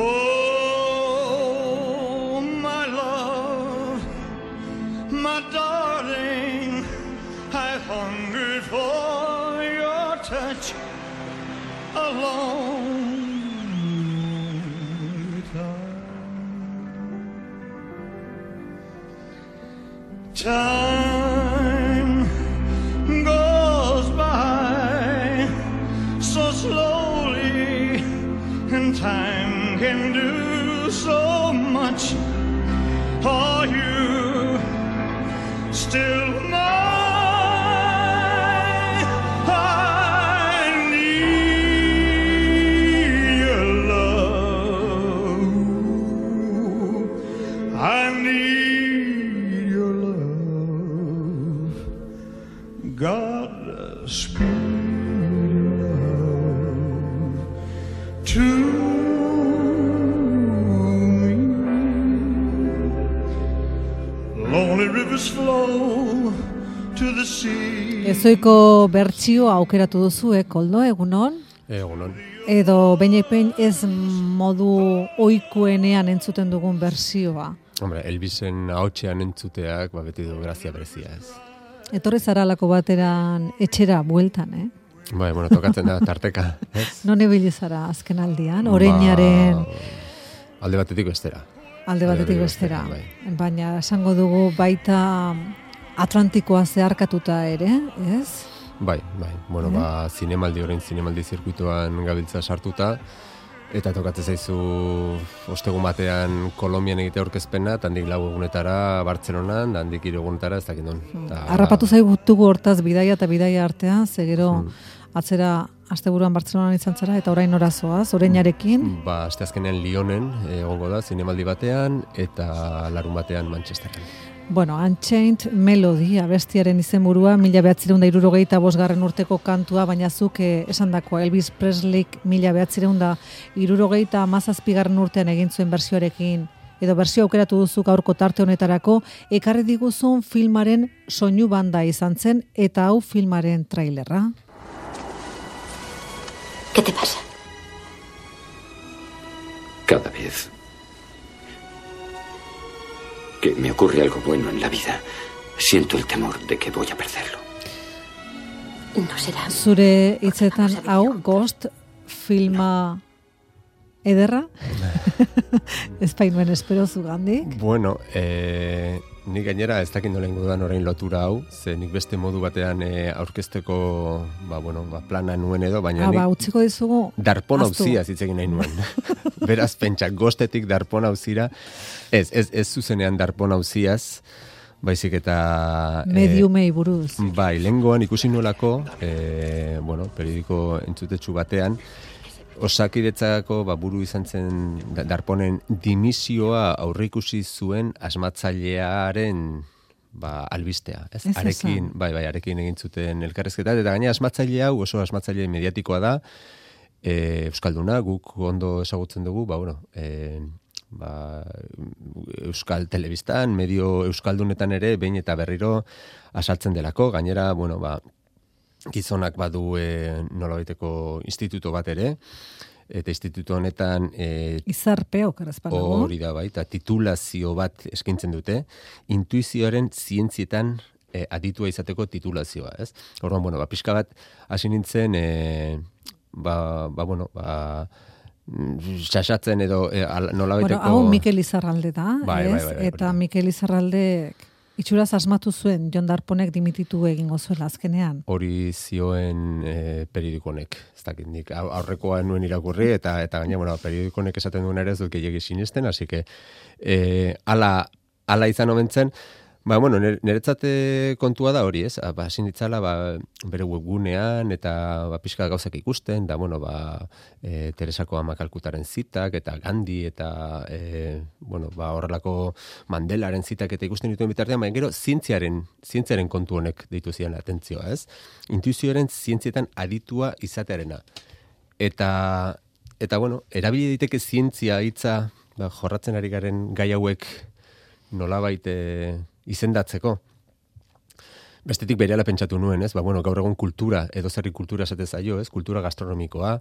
Oh, my love, my darling, I've hungered for your touch a long time goes by so slowly, and time can do so much. Are you still mine? I need your love. I need your love. God, speed love to me. Lonely rivers flow to the sea. Ezoiko bertsio aukeratu duzu, Koldo, egunon? Egunon. Edo behin ez modu ohikoenean entzuten dugun bertsioa. Hombre, Elvisen ahotsean entzuteak beti du grazia berezia, ez. Etorri zaralako bateran etxera bueltan, Bai, bueno, tokatzen da tarteka, ez? Non ibili zara azken aldian, Oreñaren alde batetik bestera. Alde batetik bestera. Bai. Baina esango dugu baita Atlantikoa zeharkatuta ere, ez? Bai. Bueno, zinemaldi zirkuitoan gabiltza sartuta, eta tokatzen zaizu ostegun batean Kolonbian egite aurkezpena, eta handik 4 egunetara Bartzelonan, eta handik 3 egunetara ez dakit non. Harrapatu zaigutugu hortaz bidaia eta bidaia artean, zegero atzera asteburuan Bartzelonan izan zara, eta orain orazoaz, Oreñarekin. Asteazkenean Lyonen egongo da, zinemaldi batean, eta larun batean Manchesteren. Bueno, Unchained Melody, abestiaren izenburua, 1965 urteko kantua, baina zuk esandakoa Elvis Presleyk 1977 urtean egin zuen bertsioarekin, edo bertsio aukeratu duzu gaurko tarte honetarako, ekarri diguzun filmaren soinu banda izan zen, eta hau filmaren trailerra. ¿Qué te pasa? Cada vez que me ocurre algo bueno en la vida, siento el temor de que voy a perderlo. No será. Zure hitzetan hau Ghost filma ederra? Ez painuen espero zugandik? Bueno, nik gainera ez dakit nola ingo dudan orain lotura hau, ze nik beste modu batean aurkezteko plana nuen edo, baina nik utziko dizugu darpon hauzia zitzegin nahi nuen. Beraz, pentsa, Ghostetik darpon hauzira, ez zuzenean darpon hauziaz, baizik eta mediumei buruz. Bai, lehengoan ikusi nuelako, periodiko entzutetsu batean, Osakidetzako buru izan zen darponen dimisioa aurreikusi zuen asmatzailearen albistea, ez? Arekin egin zuten elkarrezketa, eta gaina asmatzaile hau oso asmatzaile mediatikoa da, euskalduna, guk ondo ezagutzen dugu, euskal telebistan, medio euskaldunetan ere, behin eta berriro asaltzen delako, gainera, gizonak badu nolabaiteko instituto bat ere, eta instituto honetan Izarpeo, karazpanago. Hori da eta titulazio bat eskaintzen dute, intuizioaren zientzietan aditua izateko titulazioa, ez? Orduan, pixka bat hasi nintzen, xaxatzen edo nolabaiteko... Hau Mikel Izarralde da, ez? Eta Mikel Izarraldek itxuraz asmatu zuen Jon Darponek dimititu egingo zuela azkenean. Hori zioen periodikonek, ez dakit nik aurrekoa nuen irakurri, eta gaina, periodikonek esaten duen ere ez dut gehiagi sinesten, así que ala izan omentzen, niretzat kontua da hori, ez? Hasi nitzala bere webgunean eta pixka gauzak ikusten, da Teresako Ama Kalkutaren zitak eta Gandhi eta horrelako Mandelaren zitak eta ikusten dituen bitartean, baina gero zientziaren kontu honek deitu ziren atentzioa, ez? Intuizioaren zientzietan aditua izatearena. Eta erabili daiteke zientzia hitza jorratzen ari garen gai hauek nolabait izendatzeko. Bestetik berehala pentsatu nuen, ez? Ba, bueno, gaur egun kultura, edo zerri kultura esate zaio, ez? Kultura gastronomikoa,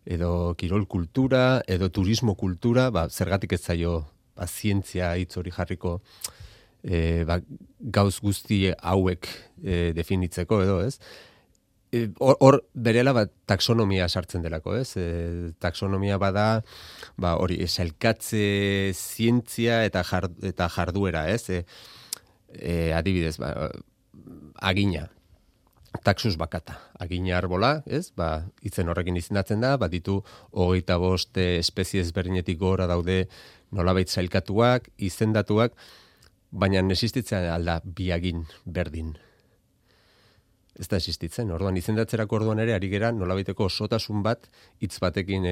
edo kirol kultura, edo turismo kultura, ba, zergatik ez zaio ba, zientzia hitz hori jarriko ba, gauz guzti hauek definitzeko, edo, ez? Hor berehala ba, taxonomia sartzen delako, ez? Taxonomia bada, ba, hori, sailkatze zientzia eta jarduera, ez? Adibidez, ba, agina, taxus bakata, agina arbola, ez? Ba, itzen horrekin izendatzen da, ba, ditu 25 espezie ezberdinetik gora daude nolabait sailkatuak, izendatuak, baina existitzen alda bi agin berdin. Ez da existitzen, orduan izendatzerako orduan ere ari gera nolabaiteko osotasun bat hitz batekin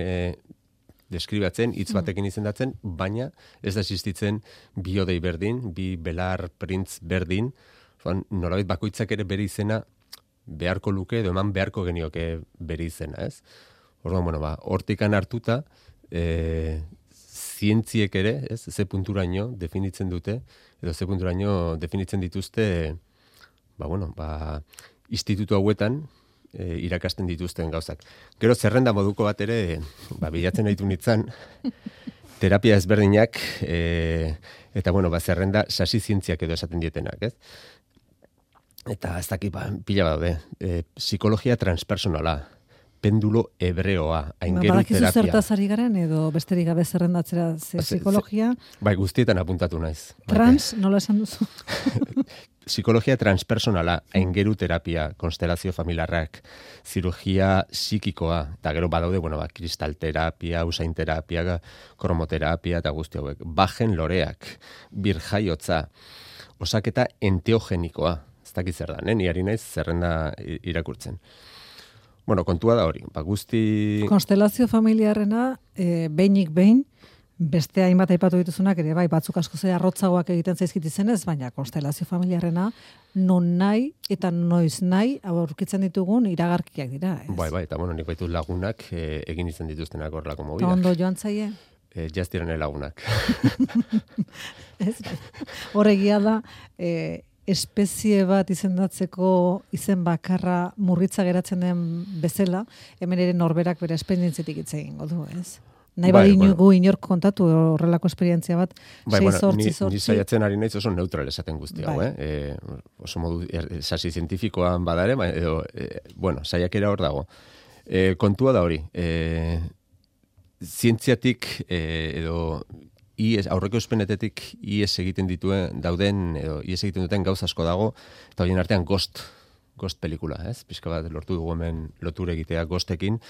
deskribatzen, hitz batekin izendatzen, baina ez da existitzen bi odei berdin, bi belar printz berdin, nolabait bakoitzak ere bere izena beharko luke edo eman beharko genioke bere izena, ez? Orduan, bueno, ba, hortikan hartuta, zientziek ere, ez, ze punturaino definitzen dute, edo ze punturaino definitzen dituzte, ba, bueno, ba, institutu hauetan irakasten dituzten gauzak. Gero zerrenda moduko bat ere, ba, bilatzen ditu nitzan, terapia ezberdinak, eta, bueno, ba, zerrenda sasi zientziak edo esaten dietenak, ez? Eta ez dakit, ba, pila daude. Psikologia transpersonala, pendulo hebreoa, aingeru terapia. Badakizu zertaz ari garen, edo besterik gabe zerrendatzera psikologia? Bai, guztietan apuntatu naiz. Trans, nola esan duzu? Psikologia transpersonala, aingeru terapia, konstelazio familiarrak, zirugia psikikoa, eta gero badaude, bueno, ba, kristalterapia, usain terapia, kromoterapia, eta guzti hauek. Bajen loreak, birjaiotza, osaketa enteogenikoa, ez dakit zer da, ni ari naiz zerrenda irakurtzen. Bueno, kontua da hori, ba, guzti... Konstelazio familiarrena, behinik behin, beste hainbat aipatu dituzunak ere, bai, batzuk asko ze arrotzagoak egiten zaizkit izenez, baina konstelazio familiarrena non nahi eta noiz nahi aurkitzen ditugun iragarkiak dira, ez? Bai, eta bueno, nik baitut lagunak egin izan dituztenak horrelako mobilak. Ondo joan zaie? Jaztirene lagunak. Ez, horregia da, espezie bat izendatzeko izen bakarra murritza geratzen den bezala, hemen ere norberak bere esperientziatik hitz egingo du, ez? Nahi badinugu inork kontatu horrelako esperientzia bat, ni saiatzen ari naiz oso neutral esaten guzti hau, oso modu sasi zientifikoan badare, edo, bueno, saiakera hor dago. Kontua da hori, zientziatik edo aurreko espenetetik ies egiten dauden, edo ies egiten duten gauz asko dago, eta horien artean Ghost pelikula, ez? Pixka bat lortu dugu hemen lotura egitea Ghostekin.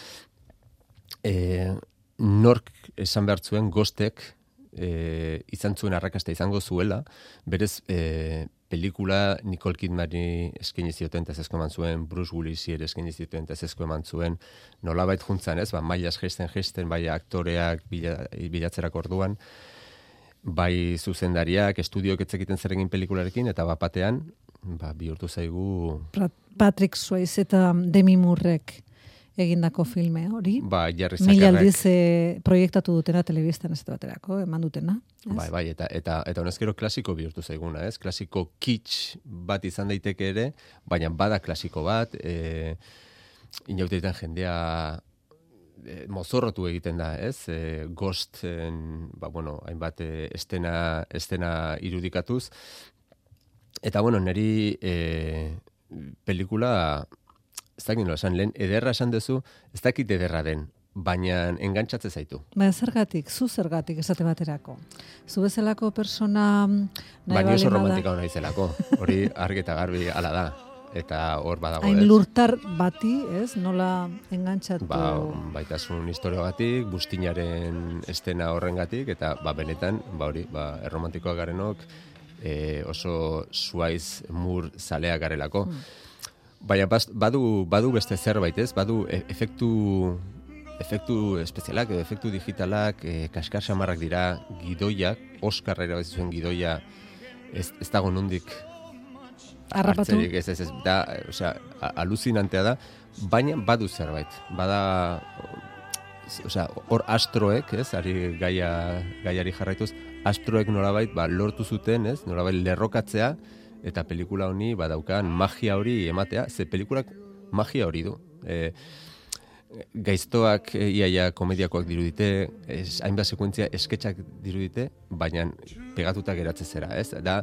Nork esan behar zuen Ghostek izan zuen arrakasta izango zuela, berez pelikula Nicole Kidmani eskaini zioten ezezko eman zuen, Bruce Willisi ere eskaini zioten ezezko eman zuen, nolabait juntzan, ez? Ba, mailaz geisten, bai aktoreak bilatzerako orduan, bai zuzendariak, estudioak etzekiten zer egin pelikularekin, eta bapatean, ba, bihurtu zaigu... Patrick Swayze eta Demi Moorek egindako filme hori. Ba, Jarri Zakarrak. 1000 aldiz proiektatu dutena telebistan ez baterako, eman dutena. Ez? Bai, eta honezkero klasiko bihurtu zaiguna, ez? Klasiko kitsch bat izan daiteke ere, baina bada klasiko bat, inautetan jendea mozorrotu egiten da, ez? Ghost, ba, bueno, hainbat estena irudikatuz. Eta, bueno, niri pelikula... Ez dakit nola esan, lehen ederra esan duzu, ez dakit ederra den, baina engantxatze zaitu. Baina zu zergatik esate baterako. Zu bezalako persona... Baina oso romantika hona izelako, hori argi eta garbi ala da, eta hor badago ez. Hain lurtar bati, ez, nola engantxatu... Baitasun historiogatik, bustinaren estena horrengatik, eta benetan, hori, erromantikoak garenok, oso Swayze Moore zaleak garelako. Baina badu beste zerbait, ez? Badu efektu espezialak, efektu digitalak, kaskar samarrak dira, gidoiak, Oscar ere zuen gidoia, ez dago nondik harrapatu. Ez, da, osea, aluzinantea da, baina badu zerbait. Bada, osea, hor astroek, ez? Ari gaiari jarraituz, astroek nolabait, lortu zuten, ez? Nolabait lerrokatzea, eta pelikula honi badaukan magia hori ematea, ze pelikulak magia hori du. Gaiztoak iaia komediakoak dirudite, hainbat sekuentzia esketxak dirudite, baina pegatuta geratzen zera, ez? Da,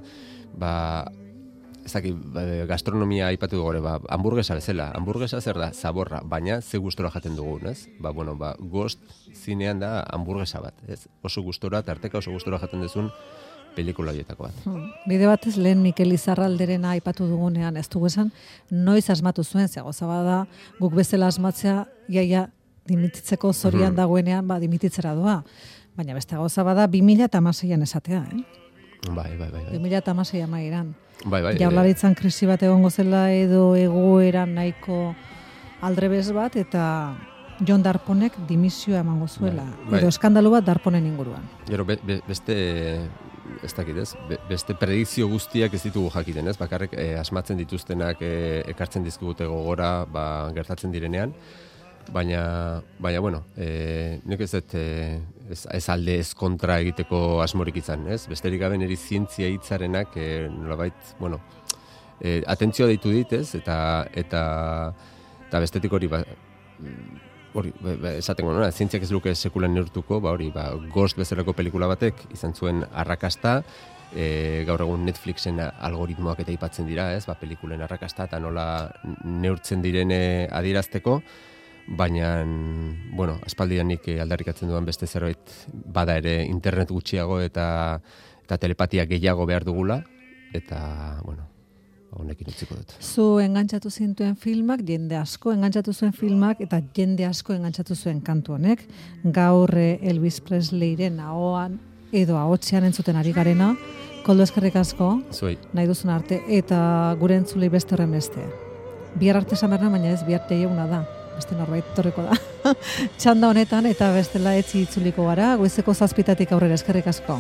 gastronomia aipatu dugu gore, hamburguesa bezala. Hamburguesa zer da? Zaborra, baina ze gustora jaten dugun, ez? Ghost zinean da hamburguesa bat, ez? Oso gustora, tarteka oso gustora jaten duzun pelikula horietako bat. Bide batez lehen Mikel Izarralderena aipatu dugunean, ez dugu esan, noiz asmatu zuen, zegoza bada, guk bezala asmatzea, iaia dimititzeko zorian dagoenean, dimititzera doa. Baina beste gauza bada, 2016an esatea, Bai. 2016 amairan. Bai. Jaurlaritzan krisi bat egongo zela edo egoeran nahiko aldrebes bat, eta Jon Darponek dimisioa emango zuela. Edo eskandalu bat Darponen inguruan. Gero, ez dakit ez, beste predikzio guztiak ez ditugu jakiten, ez? Bakarrik asmatzen dituztenak ekartzen dizkigute gogora, gertatzen direnean, baina bueno, nik ez dut ez alde ez kontra egiteko asmorik izan, ez? Besterik gabe niri zientzia hitzarenak nolabait, bueno, atentzioa deitu dit, ez? Eta bestetik hori esatengo, zientziak ez luke sekulan neurtuko, Ghost bezalako pelikula batek izan zuen arrakasta, gaur egun Netflixen algoritmoak eta aipatzen dira, ez? Pelikulen arrakasta eta nola neurtzen direne adierazteko, baina, bueno, aspaldianik aldarrikatzen duan beste zerbait bada ere internet gutxiago eta telepatia gehiago behar dugula, eta, bueno, honekin utziko dut. Zu engantzatu zintuen filmak, jende asko engantzatu zuen filmak, eta jende asko engantzatu zuen kantu honek. Gaur Elvis Presleyren ahoan edo ahotsean entzuten ari garena. Koldo, eskerrik asko, Zuei. Nahi duzun arte, eta gure entzulei beste horren beste. Bihar arte samarna, baina ez bihar teieguna da. Beste norbait torreko da. Txanda honetan, eta bestela etzi itzuliko gara, goizeko 7:00 aurrera, eskerrik asko.